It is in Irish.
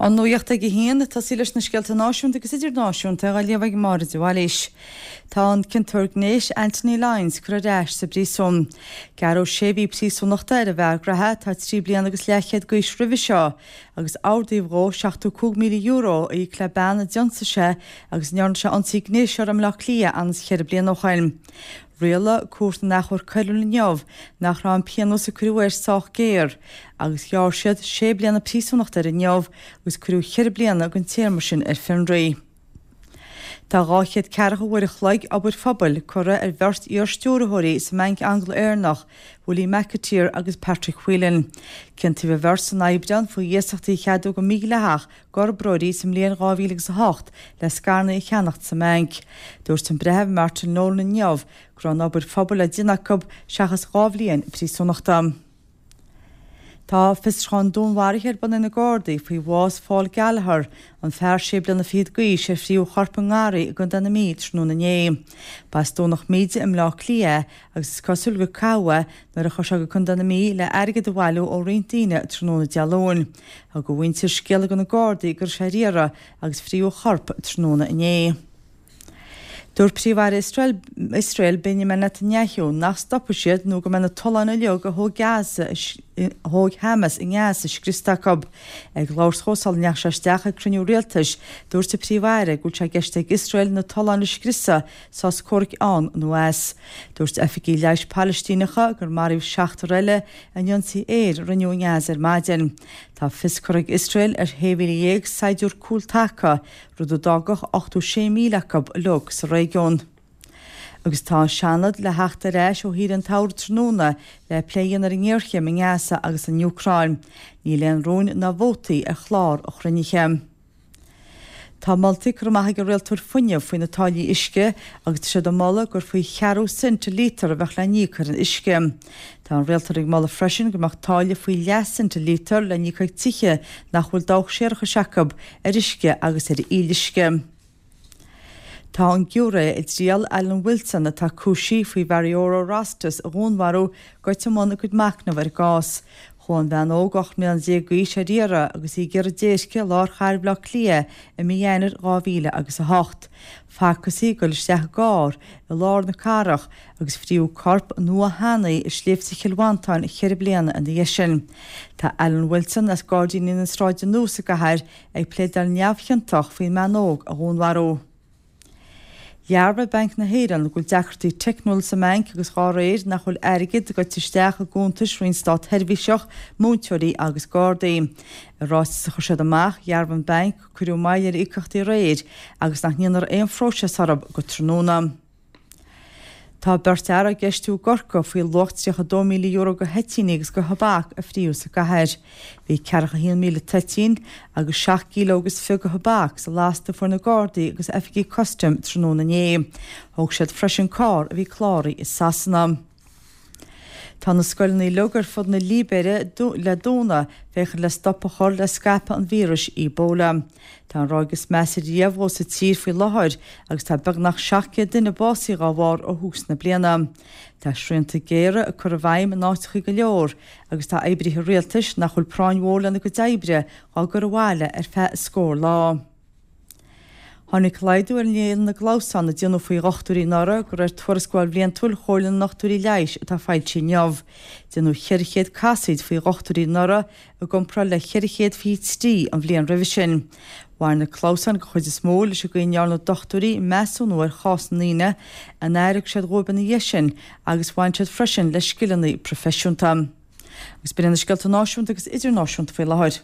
An nuacht ag a haon, ag tosaí leis na scéalta náisiúnta agus idirnáisiúnta á léamh ag Máire de Bhailís. Tá an ciontóir gnéis Anthony Lyons curtha ar ais sa bpríosún. Gearradh sé mhí príosúnachta ar an bhfear graithe atá 3 bliana agus leathchéad d'aois roimhe seo agus ordaíodh dhó €75,000 a íoc le bean a d'ionsaigh sé agus a ndearna sé ionsaí gnéis uirthi i mBleá Cliath anonn cheithre bliana ó shoin. Rialaigh Cúirt na nAchomharc Coiriúil inniu nach raibh an pionós a cuireadh air sách géar agus ghearr siad sé bliana príosúnachta air inniu agus cuireadh cheithre bliana den téarma sin ar fionraí. Tá 240 uair a chloig obair phobail curtha ar bheirt iar-stiúrthóirí sa mBanc Angla-Éireannach, Willie McAteer agus Patrick Whelan. Ciontaíodh an bheirt san Aibreán faoi iasachtaí a cheadú go mídhleathach d'oibreoirí sa mbliain 2008 le scaireanna a cheannacht sa mbanc. Dúirt an Breitheamh Martin Nolan inniu go raibh an obair phobail le déanamh acu seachas 2 bhliain príosúnachta. Tá fiosrúchán dúnmharaithe ar bun ag na Gardaí faoi bhás Phaul Gallagher, an fear sé bliana fichead d'aois ar fríodh a chorp i ngarraí i gContae na Mí tráthnóna inné. B'as Domhnach Míde i mBleá Cliath é agus is cosúil gur caitheadh é nuair a chuaigh sé go Contae na Mí le airgead a bhailiú ó roinnt daoine tráthnóna Dé Luain. Thug a mhuintir scéala do na Gardaí go raibh sé ar iarraidh agus fríodh a chorp tráthnóna inné. Dúirt Príomh-Aire Iosrael Benjamin Netanyahu nach stopfaidh siad nó go mbeidh na tolláin uilig a thóg Gaza a thóg Hamas i nGaza scriosta acu. Ag labhairt dhó sula ndeachaigh sé isteach ag cruinniú rialtais, dúirt an Príomh-Aire go bhfuil sé i gceist ag Iosrael na tolláin a scriosadh sos comhraic ann nó as. Dúirt oifigigh leighis Palaistíneacha gur maraíodh seachtar eile in ionsaí aeir a rinneadh i nGaza ar maidin. Tá fios curtha ag Iosrael ar 16,000 saighdiúir cúltaca, rud a d'fhágfadh 86,000 acu uilig sa réigiún. Agus tá an Seanad le theacht ar ais ó shaoire an tsamhraidh tráthnóna le plé a dhéanamh ar an ngéarchéim i nGaza agus an Úcráin. Níl aon rúin ná vótaí ar chlár an chruinnithe. Tá moltaí curtha amach ag an rialtóir fuinnimh faoi na táillí uisce agus tá siad ag moladh gur faoi cheathrú cent an líotar a bheadh le n-íoc ar an uisce. Tá an rialtóir ag moladh freisin go mbeadh táille faoi leath cent an líotar le n-íoc ag tithe nach bhfuil dabhach séarachais acu ar uisce agus ar fhuíolluisce. Tá an giúiré i dtriail Alan Wilson, atá cúisithe faoi Mhariora Rostas a dhúnmharú, goite i mbun a gcuid machnaimh ar an gcás. Chuaigh an bhean óg 18 mbliana d'aois ar iarraidh agus í ag iarraidh déirce i lár chathair Bhaile Átha Cliath i mí Eanáir 2008. Facthas í ag dul isteach i gcarr i lár na cathrach agus fríodh a corp nua-thanaí i sléibhte Chill Mhantáin cheithre bliana ina dhiaidh sin. Tá Alan Wilson as Gairdíní na Sráide Nua sa gcathair ag pléadáil neamhchiontach faoin mbean óg a dhúnmharú. Dhearbhaigh Banc na hÉireann go bhfuil deacrachtaí teicniúla sa mbanc agus dhá réir nach bhfuil airgead goite isteach i gcuntais roinnt státsheirbhíseach, múinteoirí agus gardaí. I ráiteas a chuir siad amach, dhearbhaigh an banc gur cuireadh moill ar íocaíochtaí aréir agus nach ndéanfar aon phróiseas orthu go tráthnóna. Tá beirt fhear á gceistiú i gCorcaigh faoi luach €32,000 de thoitíní agus de thobac a fríodh sa gcathair. Bhí ceathracha haon 1,000 toitín agus seacht gcíleo agus fiche de thobac sa lasta a fuair na Gardaí agus oifigigh custaim tráthnóna inné. Thóg siad freisin carr a bhí cláraithe i Sasana. Tá na scoileanna uilig ar fud na Libéire le dúnadh féachaint le stop a chur le scaipeadh an víris Ebola. Tá an ráig is measa riamh dhó sa tír faoi láthair agus tá beagnach 700 duine básaithe dhá bharr ó thús na bliana. Tá srianta géara curtha i bhfeidhm in áiteacha go leor agus tá oibrithe rialtais nach bhfuil práinn mhór lena gcuid oibre á gcur abhaile ar feadh scór lá. Tháinig laghdú ar líon na gclamhsán a déanadh faoi dhochtúirí anuraidh, de réir tuarascáil bhliantúil Chomhairle na nDochtúirí Leighis atá foilsithe inniu. Déanadh 400 casaoid faoi dhochtúirí anuraidh i gcomparáid le 423 an bhliain roimhe sin. Bhain na clamhsáin den chuid is mó leis an gcaoi a ndearna dochtúirí measúnú ar chás na ndaoine, an aire a thug siad dhóibh ina dhiaidh sin agus bhain siad freisin le scileanna proifisiúnta. Agus b'in iad na scéalta náisiúnta agus idirnáisiúnta faoi láthair.